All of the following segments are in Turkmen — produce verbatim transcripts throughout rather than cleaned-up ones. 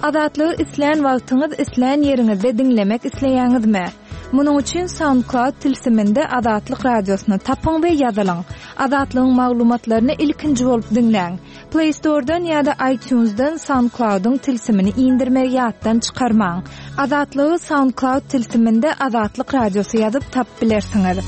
Azatlygy islän wagtyňyz, islän ýeriňizde diňlemek isleýäňizmi? Munuň üçin SoundCloud tilsiminde Azatlyk radiosyny tapyň we ýazylyň. Azatlygyň maglumatlaryny ilkinji bolup diňläň. Play Store'dan ýa-da iTunes'dan SoundCloud'yň tilsimini indirmegi ýatdan çykarmaň. Azatlygy SoundCloud tilsiminde Azatlyk radiosy ýazyp tapyp bilersiňiz.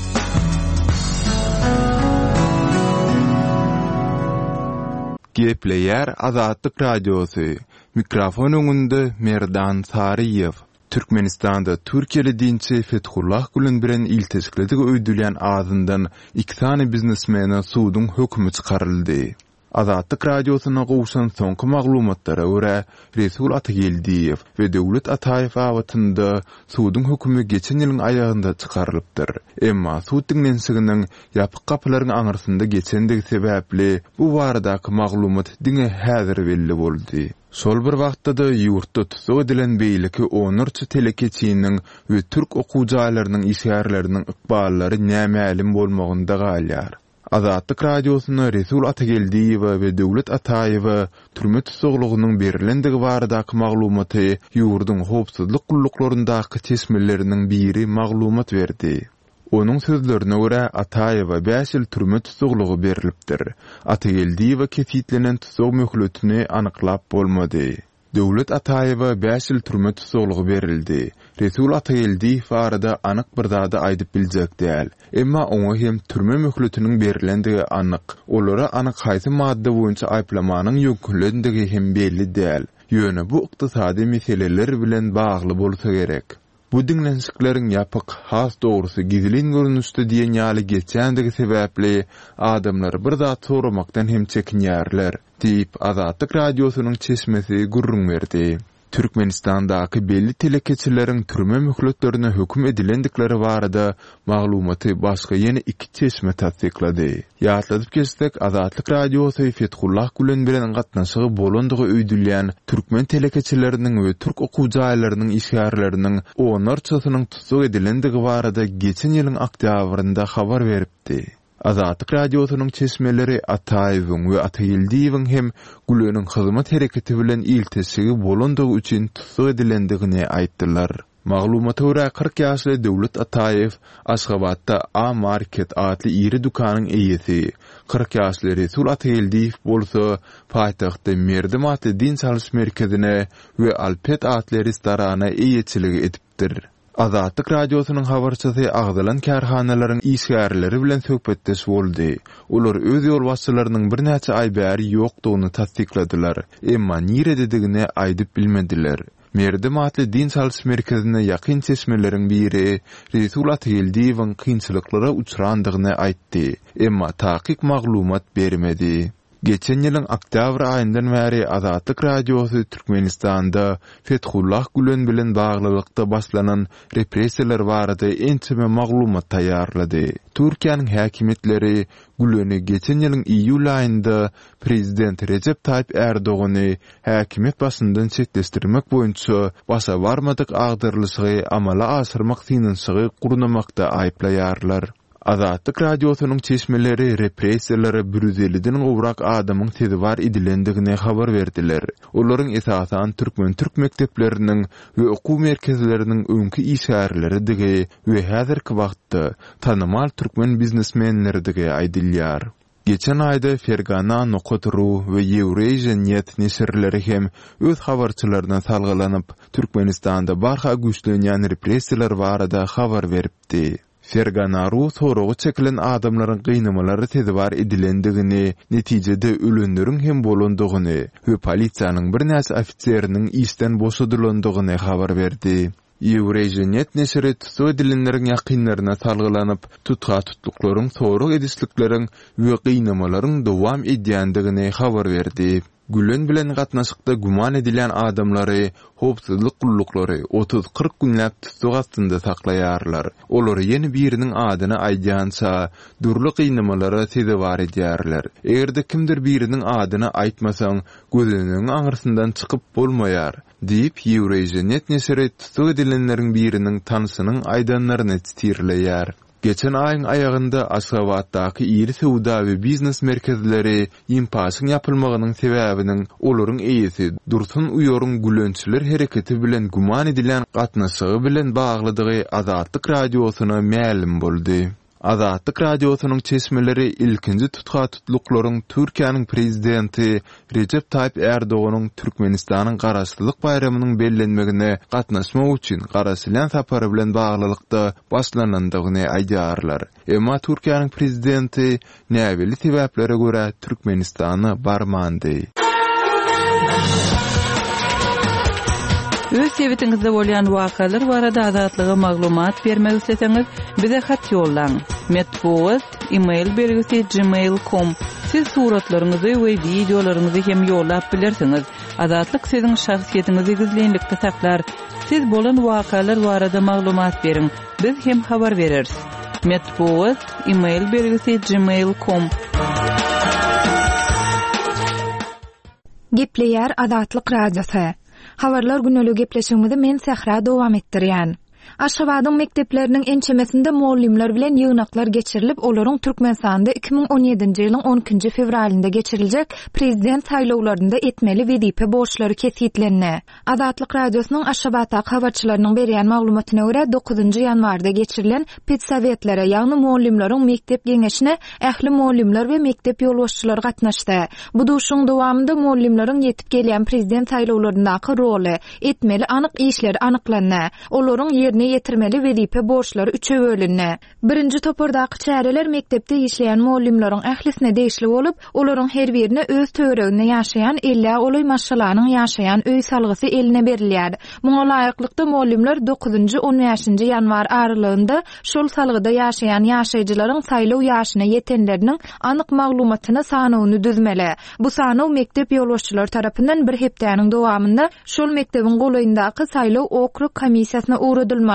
Gepleýär Azatlyk Radiosy. Mikrofon öňünde Merdan Saryýew. Türkmenistanda Türkiýeli dinçi Fethullah Gülen bilen ilteşikledigi öýdülýän azyndan iki sany biznesmene suduň hökümi çykaryldy. Azatlyk Radiosyna gowşan soňky maglumatlara görä, Resul Atageldiýew we Döwlet Ataýew babatynda suduň hökümi geçen ýylyň aýagynda çykarylypdyr. Emma sud diňlenişiginiň ýapyk gapylaryň aňyrsynda geçendigi sebäpli bu baradaky maglumat diňe häzir belli boldy. Şol bir wagtda-da ýurtda tussag edilen beýleki onlarça telekeçiniň we türk okuw jaýlarynyň işgärleriniň ykballary nämälim bolmagynda galýar. Azatlyk Radiosyna Resul Atageldiýewe we Döwlet Ataýewe türme tussaglygynyň berilendigi baradaky maglumaty ýurduň howpsuzlyk gulluklaryndaky çeşmeleriniň biri maglumat berdi. Onuň sözlerine görä, Ataýewa bäş ýyl türme tussaglygy berilipdir. Atageldiýewe kesitlenen tussag möhletini anyklap bolmady. Döwlet Ataýewa bäş ýyl türme tussaglygy berildi. Resul Atageldiýew barada anyk bir zady aýdyp biljek däl. Emma oňa hem türme möhletiniň berilendigi anyk. Olara anyk haýsy madda boýunça aýyplamanyň ýöňkülendigi hem belli däl. Ýöne bu ykdysady meseleler bilen bagly bolsa gerek. Bu diňlenişikleriň ýapyk, has dogrusy gizlin görnüşde diýen ýaly geçýändigi sebäpli adamlar bir zat soramakdan hem çekinýärler, diýip Azatlyk Radiosynyň çeşmesi gürrüň berdi. Türkmenistandaky belli telekeçileriň türme möhletlerine höküm edilendikleri barada maglumaty başga ýene iki çeşme tassyklady. Ýatladyp geçsek, Azatlyk Radiosy Fethullah Gülen bilen gatnaşygy bolandygy öýdülýän türkmen telekeçileriniň we türk okuw jaýlarynyň işgärleriniň onlarçasynyň tussag edilendigi barada geçen ýylyň oktýabrynda habar beripdi. Azatlyk Radiosynyň çeşmeleri Ataýewiň we Atageldiýewiň hem Güleniň hyzmat hereketi bilen ilteşigi bolandygy üçin tussag edilendigini aýtdylar. Maglumata görä, kyrk ýaşly Döwlet Ataýew Aşgabatda A Market atly iri dükanyň eýesi, kyrk ýaşly Resul Atageldiýew bolsa paýtagtda Merdim atly dynç alyş merkezine we Alpet atly restorana eýeçilik edipdir. Azatlyk Radiosynyň habarçysy agzalan kärhanalaryň işgärleri bilen söhbetdeş boldy. Olar öz ýolbaşçylarynyň birnäçe aý bäri ýokdugyny tassykladylar, emma nirededigini aýdyp bilmediler. Merdim atly dynç alyş merkezine ýakyn çeşmeleriň biri Resul Atageldiýewiň kynçylyklara uçrandygyny aýtdy, emma takyk maglumat bermedi. Geçen ýylyň oktýabr aýyndan bäri Azatlyk Radiosy Türkmenistanda Fethullah Gülen bilen baglylykda başlanan repressiýalar barada ençeme maglumat taýýarlady. Türkiýäniň häkimiýetleri Güleni geçen ýylyň iýul aýynda prezident Rejep Taýyp Erdogany häkimiýet başyndan çetleşdirmek boýunça başa barmadyk agdarylyşygy amala aşyrmak synanyşygy gurnamakda aýyplaýarlar. Azatlyk Radiosynyň çeşmeleri repressiýalara bir ýüz elliden gowrak adamyň sezewar edilendigini habar berdiler. Olaryň esasan türkmen-türk mekdepleriniň we okuw merkezleriniň öňki işgärleridigi we häzirki wagtda tanymal türkmen biznesmenleridigi aýdylýar. Geçen aýda Fergana nokat ru we Eurasian net neşirleri hem öz habarçylaryna salgylanyp, Türkmenistanda barha güýçlenýän repressiýalar barada habar beripdi. Fergana ru soraga çekilen adamlaryň gynamalara sezewar edilendigini, netijede ölenleriň hem bolandygyny we polisiýanyň birnäçe ofiseriniň işden boşadylandygyny habar berdi. Eurasian net neşiri tussag edilenleriň ýakynlaryna salgylanyp, tutha-tutluklaryň, sorag edişlikleriň we gynamalaryň dowam edýändigini habar berdi. Gülen bilen gatnaşykda güman edilýän adamlary howpsuzlyk gulluklary otuz-kyrk günläp tussag astynda saklaýarlar. Olary ýene biriniň adyny aýdýança dürli gynamalara sezewar edýärler. Eger-de kimdir biriniň adyny aýtmasaň, gözenegiň aňyrsyndan çykyp bolmaýar, diýip, Eurasian net neşiri tussag edilenleriň biriniň tanşynyň aýdanlaryny titirleýär. Geçen aýyň aýagynda Aşgabatdaky iri söwda we biznes merkezleri Ýimpaşyň ýapylmagynyň sebäbiniň olaryň eýesi Dursun Uýaryň Gülençiler hereketi bilen güman edilýän gatnaşygy bilen baglydygy Azatlyk Radiosyna mälim boldy. Azatlyk Radiosynyň çeşmeleri ilkinji tutha-tutluklaryň Türkiýäniň prezidenti Rejep Taýyp Ärdoganyň Türkmenistanyň Garaşsyzlyk baýramynyň bellenmegine gatnaşmak üçin garaşylýan sapary bilen baglylykda başlanandygyny aýdýarlar. Emma Türkiýäniň prezidenti näbelli sebäplere görä Türkmenistana barmandy. Öz sebitiňizde bolýan wakalar barada Azatlyga maglumat bermek isleseňiz, bize hat ýollaň. Metbugat, e-mail belgisi gmail nokta com. Siz suratlaryňyzy we wideolaryňyzy hem ýollap bilersiňiz. Azatlyk siziň şahsyýetiňizi gizlinlikde saklar. Siz bolan wakalar barada maglumat beriň. Biz hem habar bereris. Metbugat, e-mail belgisi gmail nokta com. Gepleýär Azatlyk Radiosy. Habarlar güneli gepleşigimizi men Sähra dowam etdirýän. Aşgabadyň mekdepleriniň ençemesinde mugallymlar bilen ýygnaklar geçirilip, olaryň Türkmenistanda iki müň on ýedinji ýylyň on ikinji fewralynda geçiriljek prezident saýlawlarynda etmeli wezipe borçlary kesgitlendi. Azatlyk Radiosynyň Aşgabatdaky habarçylarynyň berýän maglumatyna görä dokuzynjy ýanwarda geçirilen pedsowetlere, ýagny mugallymlaryň mekdep geňeşine ähli mugallymlar we mekdep ýolbaşçylary gatnaşdy. Bu duşuň dowamynda mugallymlaryň ýetip gelýän prezident saýlawlaryndaky roly, etmeli anyk işleri anyklandy. Olaryň ýerine ýetirmeli wezipe borçlary üçe bölündi. Birinji topardaky çäreler mekdepde işleýän mugallymlaryň ählisine degişli bolup, olaryň her birine öz töwereginde ýaşaýan elli golaý maşgalanyň ýaşaýan öý salgysy eline berilýär. Muňa laýyklykda mugallymlar dokuzynjy on bäşinji ýanwar aralygynda şol salgyda ýaşaýan ýaşaýjylaryň saýlaw ýaşyna ýetenleriniň anyk maglumatyny sanawyny düzmeli. Bu sanaw mekdep ýolbaşçylary tarapyndan bir hepdäniň dowamynda şol mekdebiň golaýyndaky saýlaw okrug komissiýasyna ugradylmaly.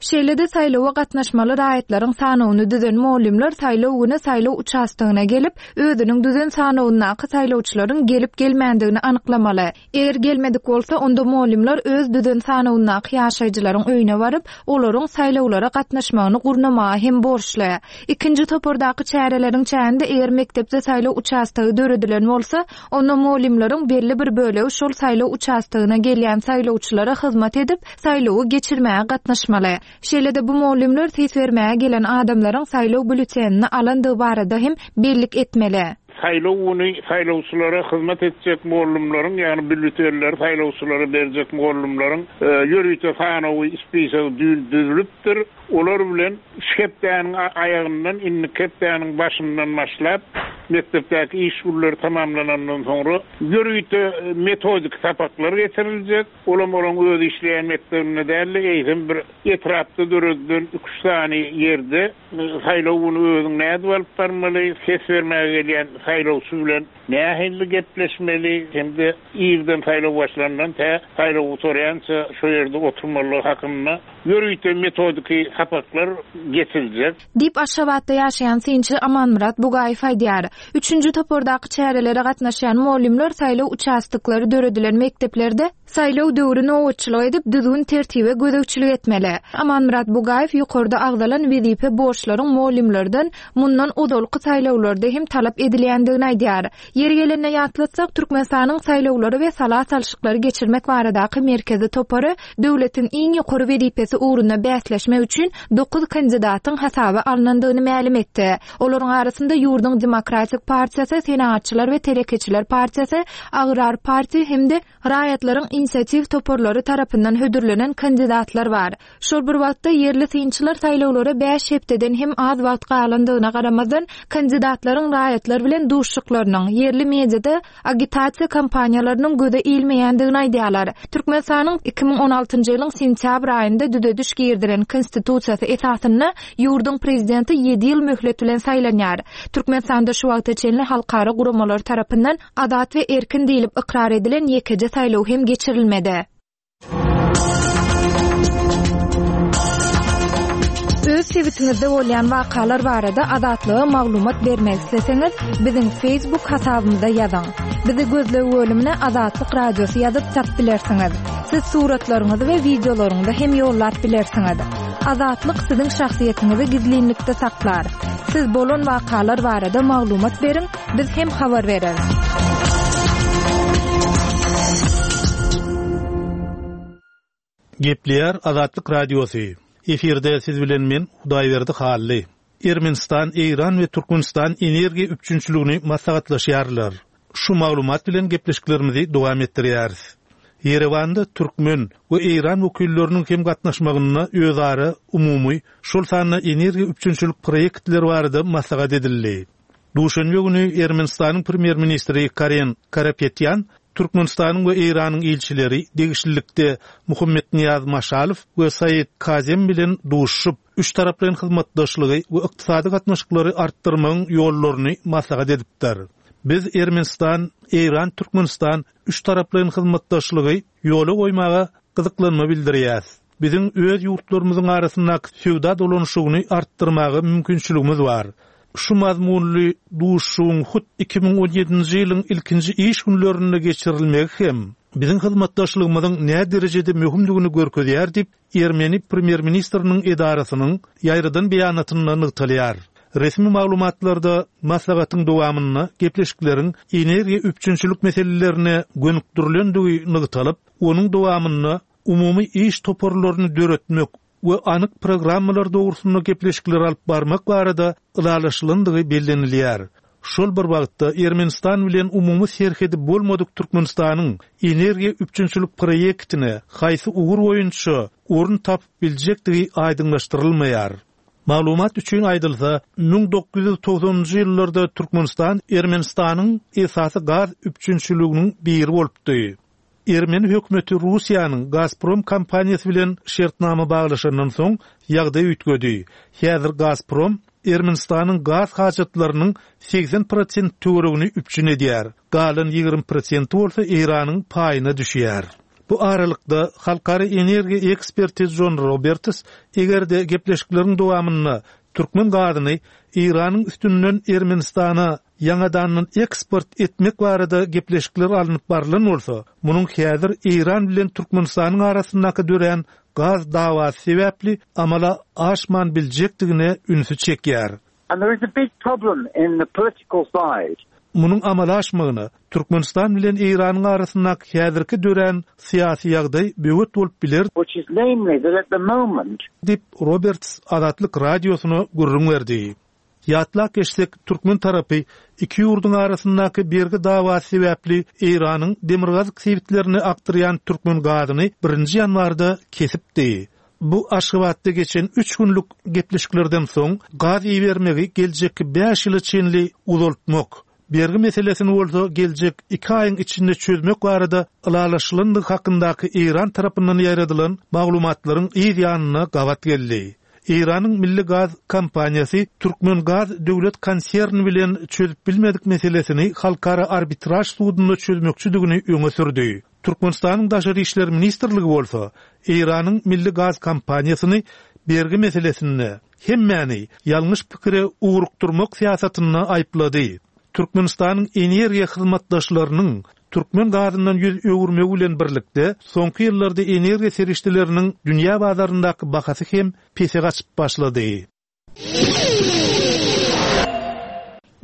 Şeýle-de saýlawa gatnaşmaly raýatlaryň sanawyny düzen mugallymlar saýlaw güni saýlaw uçastogyna gelip, özüniň düzen sanawyndaky saýlawçylaryň gelip gelmändigini anyklamaly. Eger gelmedik bolsa, onda mugallymlar öz düzen sanawyndaky ýaşaýjylaryň öýüne baryp, olaryň saýlawlara gatnaşmagyny gurnamaga hem borçly. Ikinji topardaky çäreleriň çäginde eger mekdepde saýlaw uçastogy döredilen bolsa, onda mugallymlaryň belli bir bölegi şol saýlaw uçastogyna gelýän saýlawçylara hyzmat edip, saýlawy geçirmäge gatnaşmaly. Şeýle-de bu mugallymlar ses bermäge gelen adamlaryň saýlaw bülletenini alandygy barada hem bellik etmeli. Saýlaw güni saýlawçylara hyzmat etjek mugallymlaryň, ýagny bülletenleri saýlawçylara berjek mugallymlaryň, e, ýörite sanawy ispisagi düzülipdir. Olar bilen şu hepdäniň aýagyndan indi hepdäniň başyndan başlap mekdepdäki iş günleri tamamlanandan soňra ýörite metodik sapaklar geçiriljek. Olam olaň öz işleýän mekdebinde däl-de, eýsem bir etrapda döredilen üç sany ýerde saýlaw güni özüň nädip alyp barmaly, ses bermäge gelýän saýlawçy bilen nähili gepleşmeli, hem-de irden saýlaw başlandan tä saýlaw gutarýança şo ýerde oturmaly hakynda ýörite metodiki sapaklar geçiriljek. Diýip Aşgabatda ýaşaýan synçy Amanmyrat Bugaýew aýdýar. Üçünji topardaky çärelere gatnaşýan mugallymlar saýlaw uçastoklary döredilen mekdeplerde saýlaw döwri nobatçylyk edip düzgün tertibe gözegçilik etmeli. Amanmyrat Bugaýew ýokarda agzalan wezipe borçlaryň mugallymlardan mundan ozalky saýlawlarda hem talap edilýändigini aýdýar. Ýeri gelende ýatlatsak, Türkmenistanyň saýlawlary we sala salşyklary geçirmek baradaky merkezi topary döwletiň iň ýokary wezipesi ugrunda bäsleşmek üçin dokuz kandidatyň hasaba alynandygyny mälim etdi. Olaryň arasynda ýurduň Demokratik partiýasy, Senagatçylar we Telekeçiler partiýasy, Agrar partiýa hem-de raýatlaryň inisiatiw toparlary tarapyndan hödürlenen kandidatlar bar. Şol bir wagtda ýerli synçylar saýlawlara bäş hepdeden hem az wagt galandygyna garamazdan kandidatlaryň raýatlar bilen duşuşyklarynyň, ýerli mediada agitasiýa kampaniýalarynyň göze ilmeýändigini aýdýarlar. Türkmenistanyň iki müň on altynjy ýylyň sentýabr aýynda düzediş girdiren konstitusiýasy esasynda ýurduň prezidenti ýedi ýyl möhlet bilen saýlanýar. Türkmenistanda şu wagta çenli halkara guramalar tarapyndan azat we erkin diýlip ykrar edilen ýekeje saýlaw hem geçirilmedi. Öz sebitiňizde bolýan wakalar barada Azatlyga maglumat bermek isleseňiz, biziň Facebook hasabymyzda ýazyň. Bizi gözleg bölümine Azatlyk Radiosy ýazyp tap bilersiňiz. Siz suratlaryňyzy we wideolaryňyzy hem ýollap bilersiňiz. Azatlyk siziň şahsyýetiňizi gizlinlikde saklar. Siz bolan wakalar barada maglumat beriň, biz hem habar bereris. Gepleýär Azatlyk Radiosy. Efirde siz bilen men Hudaýberdi Hally. Ermenistan, Eýran we Türkmenistan energiýa üpjünçiligini maslahatlaşýarlar. Şu maglumat bilen gepleşiklerimizi dowam etdirýäris. Ýerewanda türkmen we Eýran wekilleriniň hem gatnaşmagynda özara umumy şol sanda energiýa üpjünçilik proýektleri barada maslahat edildi. Duşenbe güni Ermenistanyň premýer-ministri Karen Karapetyan Türkmenistanyň we Eýranyň ilçileri degişlilikde Muhammet Niýaz Maşalow we Said Kazem bilen duşup, üç taraplaýyn hyzmatdaşlygy we ykdysady gatnaşyklary artdyrmagyň ýollaryny maslahat edipdir. Biz Ermenistan, Eýran, Türkmenistan üç taraplaýyn hyzmatdaşlygy ýola goýmaga gyzyklanma bildirýäs. Biziň öz ýurtlarymyzyň arasyndaky söwda dolanyşygyny artdyrmaga mümkinçiligimiz bar. Şu mazmunly duşuşygyň hut iki müň on ýedinji ýylyň ilkinji iş günlerinde geçirilmegi hem biziň hyzmatdaşlygymyzyň nä derejede möhümdigini görkezýär diýip, Ermeni premýer-ministriniň edarasynyň ýaýradan beýanatynda nygtalýar. Resmi maglumatlarda maslahatyň dowamynda gepleşikleriň energiýa üpjünçilik meselelerine gönükdirilendigi nygtalyp, onuň dowamynda umumy iş toparlaryny döretmek we anyk programmalar dogrusynda gepleşikler alyp barmak barada ylalaşylandygy bellenilýär. Şol bir wagtda Ermenistan bilen umumy serhedi bolmadyk Türkmenistanyň energiýa üpjünçilik proýektine haýsy ugur boýunça orun tapyp biljekdigi aýdyňlaşdyrylmaýar. Maglumat üçin aýdylsa, müň dokuz ýüz togsanynjy ýyllarda Türkmenistan Ermenistanyň esasy gaz üpjünçiliginiň biri bolupdy. Ermeni hökümeti Russiýanyň Gazprom kompaniýasy bilen şertnama baglaşandan soň ýagdaý üýtgedi. Häzir Gazprom Ermenistanyň gaz hajatlarynyň seksen prosent töweregini üpjün edýär. Galan ýigrimi prosenti bolsa Eýranyň paýyna düşýär. Bu aralykda halkara energiýa eksperti John Roberts eger-de gepleşikleriň dowamynda türkmen gazyny Eýranyň üstünden Ermenistana ýaňadandan eksport etmek barada gepleşikler alnyp barylan bolsa, munuň häzir Eýran bilen Türkmenistanyň arasyndaky dörän gaz dawasy sebäpli amala aşman biljekdigine ünsi çekýär. And there is a big problem in the political side. Munuň amala aşmagyna Türkmenistan bilen Eýranyň arasyndaky häzirki dörän syýasy ýagdaý böwet bolup biler, which is namely that at the moment diýip Roberts Azatlyk radiosyna gürrüň berdi. Ýatlap geçsek, türkmen tarapy iki ýurduň arasyndaky bergi dawasy sebäpli Eýranyň demirgazyk sebitlerine akdyrýan türkmen gazyny birinji ýanwarda kesipdi. Bu Aşgabatda geçen üç günlük gepleşiklerden soň gaz ibermegi geljekki bäş ýyla çenli uzaltmak, bergi meselesini bolsa geljek iki aýyň içinde çözmek barada ylalaşylandygy hakyndaky Eýran tarapyndan ýaýradylan maglumatlaryň yz ýanyna gabat geldi. Eýranyň Milli Gaz kompaniýasy Türkmen Gaz döwlet konserni bilen çözüp bilmedik meselesini halkara arbitraj sudunda çözmekçidigini öňe sürdi. Türkmenistanyň Daşary İşler Ministrligi bolsa Eýranyň Milli Gaz kompaniýasyny bergi meselesinde hemmäni ýalňyş pikire ugrukdurmak syýasatynda aýyplady. Türkmenistanyň energiýa hyzmatdaşlarynyň türkmen gazyndan ýüz öwürmegi bilen birlikde soňky ýyllarda energiýa serişdeleriniň dünýä bazaryndaky bahasy hem pese gaçyp başlady.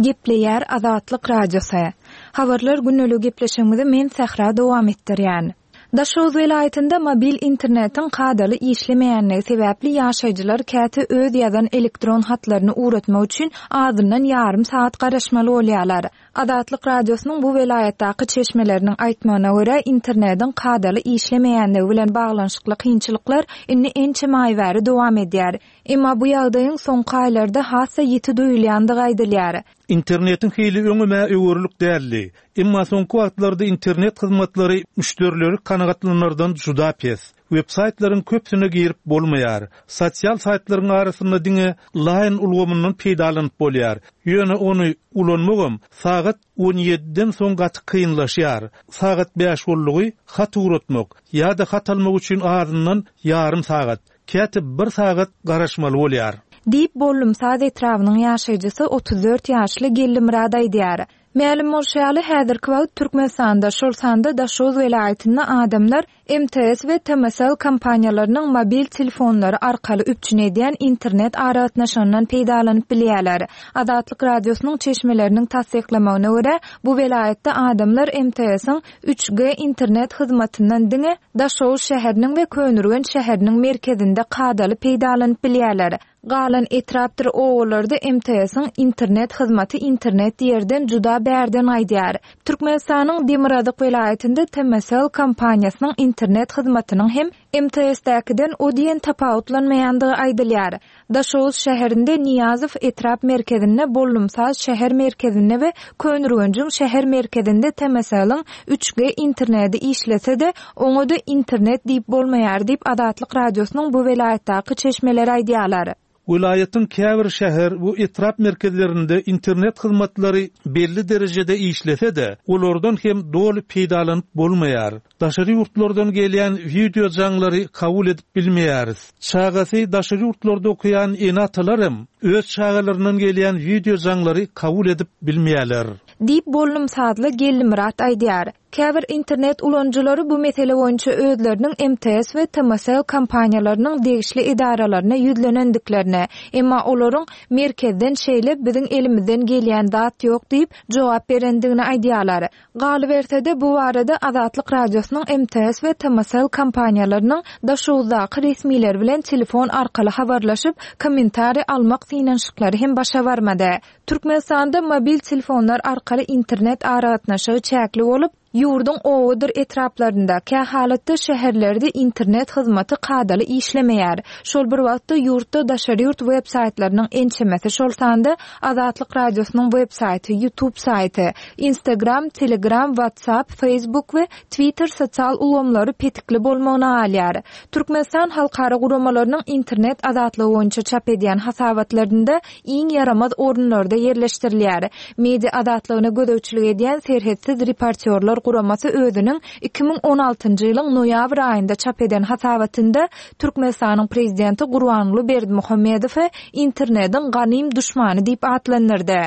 Gepleýär Azatlyk Radiosy. Habarlar günlük gepleşigimizi men Sähra dowam etdirýän. Daşoguz welaýatynda mobil internetiň kadaly işlemeýänligi sebäpli ýaşaýjylar käte öz ýazan elektron hatlaryny ugratmak üçin azyndan ýarym saat garaşmaly bolýarlar. Azatlyk Radiosynyň bu welaýatdaky çeşmeleriniň aýtmagyna görä, internetiň kadaly işlemeýänligi bilen baglanyşykly kynçylyklar indi ençeme aý bäri dowam edýär. Emma bu ýagdaýyň soňky aýlarda has-da ýiti duýulýandygy aýdylýar. Internetiň hili öňüme öwürlik däldi. Emma soňky wagtlarda internet hyzmatlary müşderileri kanagatlanardan juda pes. Web-saýtlaryň köpüsine girip bolmaýar. Sosial saýtlaryň arasynda diňe Line ulgamyndan peýdalanyp bolýar. Ýöne ony ulanmagam sagat on ýediden soň gaty kynlaşýar. Sagat bäş boldugy hat ugratmak ýa-da hat almak üçin azyndan ýarym sagat, käte bir sagat garaşmaly bolýar. Diýip Bollumsaz etrabynyň ýaşaýjysy otuz dört ýaşly Geldi Murad aýdýar. Mälim bolşy ýaly, häzirki wagt Türkmenistanda, şol sanda Daşoguz welaýatynda adamlar M T S we T M S L kompaniýalarynyň mobil telefonlary arkaly üpjün edýän internet aragatnaşygyndan peýdalanyp bilýärler. Azatlyk Radiosynyň çeşmeleriniň tassyklamagyna görä, bu welaýatda adamlar M T S-iň üç G internet hyzmatyndan diňe Daşoguz şäheriniň we Köneürgenç şäheriniň merkezinde kadaly peýdalanyp bilýärler. Galan etrapdyr obalarda M T S-iň internet hyzmaty internet ýerden juda bärden gaýdýar. Türkmenistanyň Demirgazyk welaýatynda T M S L kompaniýasynyň internet hyzmatynyň hem M T S-däkiden o diýen tapawutlanmaýandygy aýdylýar. Daşoguz şäherinde Niýazow etrap merkezinde, Bollumsaz şäher merkezinde we Köneürgenjiň şäher merkezinde T M S L-iň üç G interneti işlese-de, oňa-da internet diýip bolmaýar diýip Azatlyk Radiosynyň bu welaýatdaky çeşmeleri aýdýarlar. Welaýatyň käbir şäher we etrap merkezlerinde internet hyzmatlary belli derejede işlese-de, olardan hem doly peýdalanyp bolmaýar. Daşary ýurtlardan gelýän wideo jaňlary kabul edip bilmeýäris. Çagasy daşary ýurtlarda okaýan ene-atalar hem öz çagalaryndan gelýän wideo jaňlary kabul edip bilmeýärler. Diýip Bollumsazly Gellimyrat aýdýar. Käbir internet ulanyjylary bu mesele boýunça özleriniň M T S we T M S L kompaniýalarynyň degişli edaralaryna ýüzlenendiklerini, emma olaryň merkezden şeýle biziň elimizden gelýän zat ýok diýip jogap berendigini aýdýarlar. Galyberse-de bu barada Azatlyk Radiosynyň M T S we T M S L kompaniýalarynyň Daşoguzdaky resmileri bilen telefon arkaly habarlaşyp, kommentariý almak synanyşyklary hem başa barmady. Türkmenistanda mobil telefonlar arkaly internet aragatnaşygy çäkli bolup, ýurduň obadyr etraplarynda, kä halatda şäherlerde internet hyzmaty kadaly işlemeýär. Şol bir wagtda ýurtda daşary ýurt web saýtlarynyň ençemesi, şol sanda Azatlyk Radiosynyň web saýty, YouTube saýty, Instagram, Telegram, WhatsApp, Facebook we Twitter sosial ulgamlary petikli bolmagyna galýar. Türkmenistan halkara guramalarynyň internet azatlygy boýunça çap edýän hasabatlarynda iň ýaramaz orunlarda ýerleşdirilýär. Media azatlygyna gözegçilik edýän Serhetsiz reportýorlar guramasy özüniň iki müň on altynjy ýylyň noýabr aýynda çap eden hasabatynda Türkmenistanyň prezidenti Gurbanguly Berdimuhamedowy internetiň ganym duşmany diýip atlandyrdy.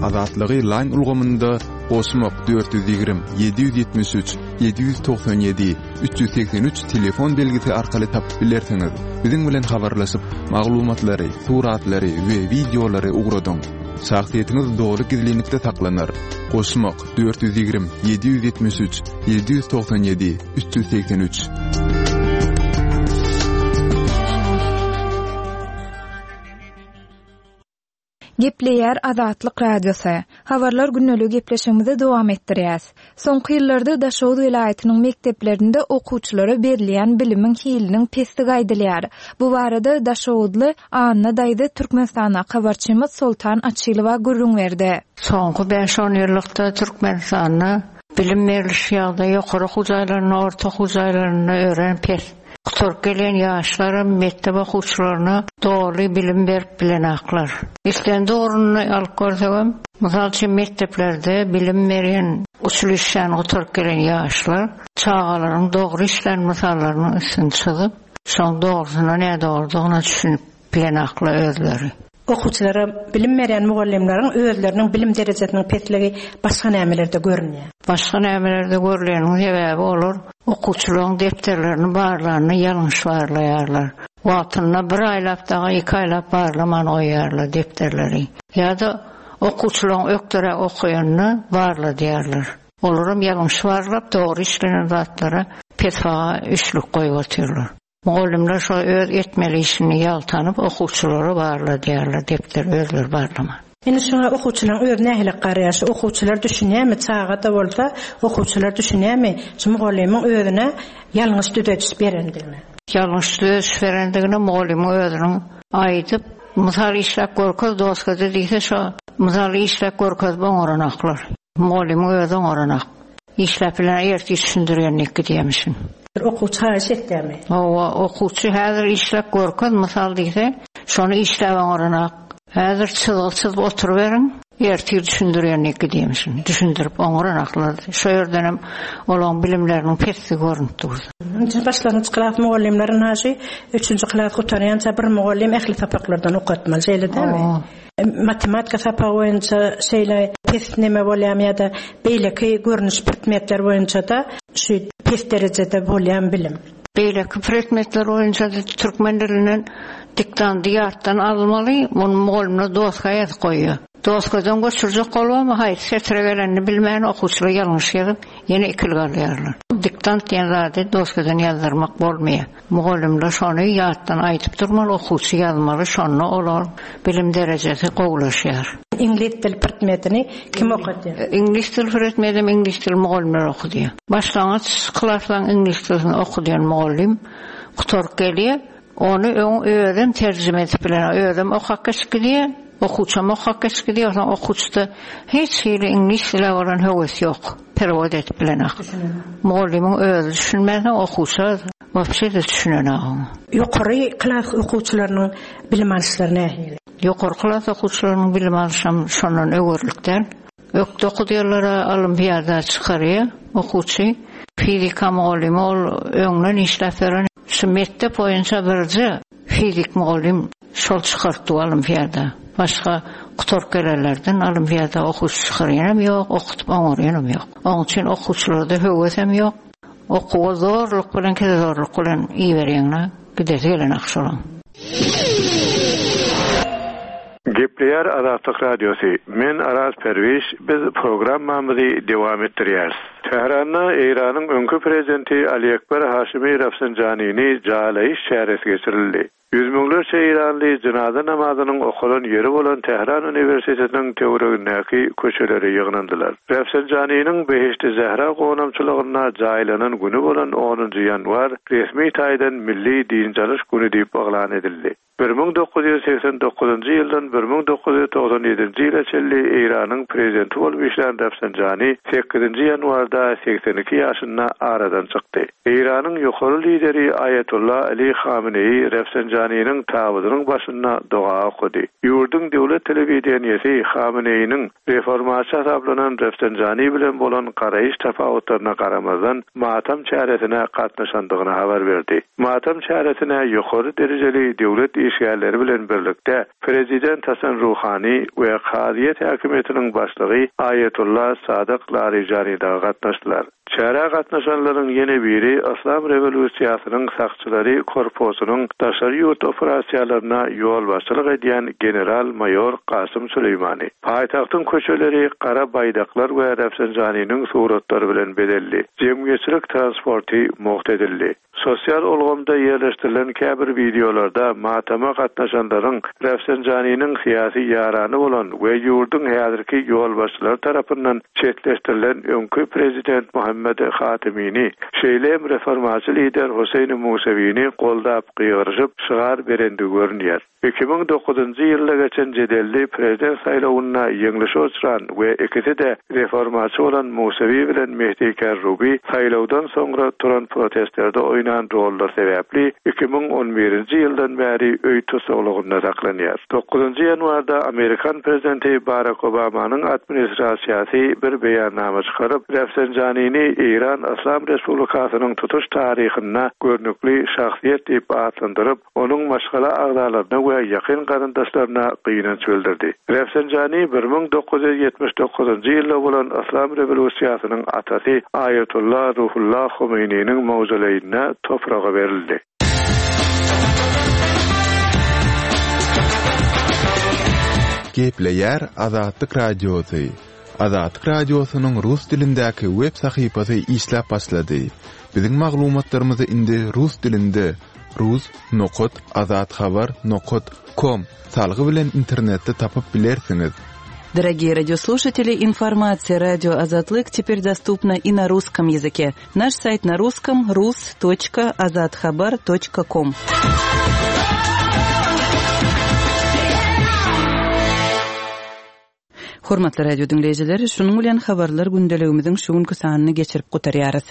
Azatlygy Line ulgamynda goşmak dört ýüz ýigrimi ýedi ýüz ýetmiş üç ýedi ýüz togsan ýedi üç ýüz segsen üç telefon belgisi arkaly tapyp bilersiňiz. Biziň bilen habarlaşyp, maglumatlary, suratlary we wideolary ugradyň. Şahsyýetiňiz doly gizlinlikde saklanar. Goşmak dört ýüz ýigrimi ýedi ýüz ýetmiş üç ýedi ýüz togsan ýedi üç ýüz segsen üç. Gepleýär Azatlyk Radiosy. Habarlar gündelik gepleşigimizi dowam etdirýäs. Soňky ýyllarda Daşoguz welaýatynyň mekdeplerinde okuwçylara berilýän bilimiň hiliniň pesdigi aýdylýar. Bu barada Daşoguzly Anna daýza Türkmenistanda habarçymyz Soltan Açylowa gürrüň berdi. Soňky bäş-on ýyllykda Türkmenistanda bilim beriliş ýagdaýy ýokary okuw jaýlarynda, orta okuw jaýlarynda örän pes. Gutaryp gelen ýaşlar mekdep okuwçylaryna doly bilim berip bilenaklar. Islendik ornuny alyp görsegem, mysal üçin mekdeplerde bilim berýän uçilişşäni gutaryp gelen ýaşlar çagalaryň dogry işlän mysallarynyň üstüni çyzyp, şoň dogrusyna ne dogrudygyna düşünip bilenaklar özleri. Okuwçylara bilim berýän mugallymlaryň özleriniň bilim derejesiniň pesligi başga nämelerde görünýär? Başga nämelerde görülýäniň sebäbi olar okuwçylaryň defterlerini barlanyny ýalňyş barlaýarlar. Wagtynda bir aýlap dagy iki aýlap barlaman goýýarlar defterleri. Ýa-da okuwçylaryň ökdere okaýanyny barladýarlar. Olaram ýalňyş barlap dogry işlenen zatlara pes baha üçlük goýup otyrlar. Mugallymlar şo öz etmeli işini ýaltanyp okuwçylara barladýarlar, defter özleri barlaman. Indi şoňa okuwçylaryň öz nähili garaýar? Şu okuwçylar düşünýärmi? Çaga da bolsa okuwçylar düşünýärmi? Şu mugallymyň özüne ýalňyş düzediş berendigini. Ýalňyş düzediş berendigini mugallymyň özüniň aýdyp, mysal işläp görkez doskada diýse şo mysal işläp görkezip oňaranaklar. Mugallymyň özi oňaranak. Işläp bilen erti düşündirýänlik diýmişin. Okuwçy haýyş etdimi? Owa, okuwçy häzir işläp görkez mysal diýse, şony işläp oňaranak. Häzir çyzgy çyzyp oturyberiň, ertir düşündirýän diýip gidýärmişin. Düşündirip oňuranaklar. Şo ýerden hem olaryň bilimleriniň pesdigi görünip durdy. Nji başlangyç klas mugallymlary naşy üçünji klas gutarýança bir mugallym ähli sapaklardan okatmaly, şeýle dälmi? Matematika sapagy boýunça şeýle pes neme bolýarmy ýa-da beýleki görnüş predmetler boýunça-da şu pes derejede bolýan bilim? Beýleki predmetler boýunça türkmen dilinden diktandy ýatdan almaly, muny mugallymlar doska ýazyp goýýar. Doskadan göçürjek bolýarmy, haýsy setire gelenini bilmän okuwçylar ýalňyş ýazyp, ýene ikilik alýarlar. Diktant diýen zady doskadan ýazdyrmak bolmaýar. Mugallymlar şony ýatdan aýdyp durmaly, okuwçy ýazmaly, şonda olar bilim derejesi gowulaşýar. Iňlis dil predmetini kim okadýar? Iňlis dil predmetini iňlis dil mugallymlar okudýar. Başlangyç klaslaryň iňlis dilini okudýan mugallym gutaryp gelýär, ony öň özem terjime edip bilen, özem okap geçip gidýär, okuwçam okap geçip gidýär, onsoň okuwçyda hiç hili iňlis dile bolan höwes ýok, perewod edip bilenok. Mugallymyň özi düşünmänsoň okuwça wapşe de düşünenok oňa. Ýokary klas okuwçylarynyň bilim alyşlary nähili? Ýokary klas okuwçylarynyň bilim alyşam şondan öwürlik däl. Ökde okudýarlara olimpiada çykarýar okuwçy. Fizika mugallymy ol öňden işläp beren şu mekdep boýunça birje fizik mugallym şol çykartdy olimpiada. Başga gutaryp gelenlerden olimpiada okuwçy çykarýanam ýok, okutyp oňarýanam ýok. Onuň üçin okuwçylarda höwesem ýok. Okuwa zorluk bilen, kese zorluk bilen iberýäňler, gidesi gelen akşolan. Gepleýär Azatlyk Radiosy. Men Araz Perwiş, biz programmamyzy dowam etdirýäris. Tähranda Eýranyň öňki prezidenti Ali Ekber Haşimi Rafsanjanini jaýlaýyş çäresi geçirildi. Ýüz müňlerçe Eýranly jynaza namazynyň okalan ýeri bolan Tähran Uniwersitetiniň töweregindäki köçelere ýygnandylar. Rafsanjaniniň Behişdi Zehra gonamçylygynda jaýlanan güni bolan onunjy ýanwar resmi taýdan milli dynç alyş güni diýip yglan edildi. bir müň dokuz ýüz seksen dokuzynjy ýyldan bir müň dokuz ýüz togsan ýedinji ýyla çenli Eýranyň prezidenti bolup işlän Rafsanjani sekizinji ýanwarda seksen iki ýaşynda aradan çykdy. Eýranyň ýokary lideri Aýatollah Ali Hameneýi Rafsanjaniniň tabydynyň başynda doga okady. Ýurduň döwlet telewideniýesi Hameneýiniň reformaçy hasaplanan Rafsanjani bilen bolan garaýyş tapawutlaryna garamazdan matam çäresine gatnaşandygyny habar berdi. Matam çäresine ýokary derejeli döwlet işgärleri bilen birlikde Prezident Hasan Ruhani we Kazyýet häkimiýetiniň başlygy Aýatollah Sadyk Larijani dagy gatnaşdylar. Çärä gatnaşanlaryň ýene biri Islam rewolýusiýasynyň sakçylary korpusynyň daşary ýurt operasiýalaryna ýolbaşçylyk edýän general-maýor Kasym Süleýmani. Paýtagtyň köçeleri gara baýdaklar we Rafsanjaniniň suratlary bilen bezeldi. Jemgyýetçilik transporty mugt edildi. Sosial ulgamda ýerleşdirilen käbir wideolarda matama gatnaşanlaryň Rafsanjaniniň syýasy ýarany bolan we ýurduň häzirki ýolbaşçylary tarapyndan çetleşdirilen öňki prezident Muhammed Hatimini, şeýle hem reformaçy lider Huseýn Musewini goldap gygyryşyp şygar berendigi görünýär. Iki müň dokuzynjy ýylda geçen jedelli prezident saýlawynda ýeňlişe uçran we ikisi-de reformaçy bolan Musewi bilen Mehdi Kerrubi saýlawdan soňra turan protestlerde oýnan rollar sebäpli iki müň on birinji ýyldan bäri öý tussaglygynda saklanýar. Dokuzynjy ýanwarda Amerikan prezidenti Barack Obamanyň administrasiýasy bir beýannama çykaryp, Rafsanjanini Eýran Islam Respublikasynyň tutuş taryhynda görnükli şahsyýet diýip atlandyryp, onuň maşgala agzalaryna we ýakyn garyndaşlaryna gynanç bildirdi. Rafsanjani bir müň dokuz ýüz ýetmiş dokuzynjy ýylda bolan Islam rewolýusiýasynyň atasy Aýatollah Ruhullah Homeýniniň mawzoleýine topraga berildi. Gepleýär Azatlyk Radiosy. Azatlyk Radiosynyň rus dilindäki web sahypasy işläp başlady. Biziň maglumatlarymyzy indi rus dilinde rus nokat azathabar nokat com salgy bilen internetde tapyp bilersiňiz. Дорогие радиослушатели, информация радио Азатлык теперь доступна и на русском языке. Наш сайт на русском рус точка азатхабар точка ком. Hormatly radio diňleýjiler, şunuň bilen habarlar gündeligimiziň şu günki sanyny geçirip gutarýarys.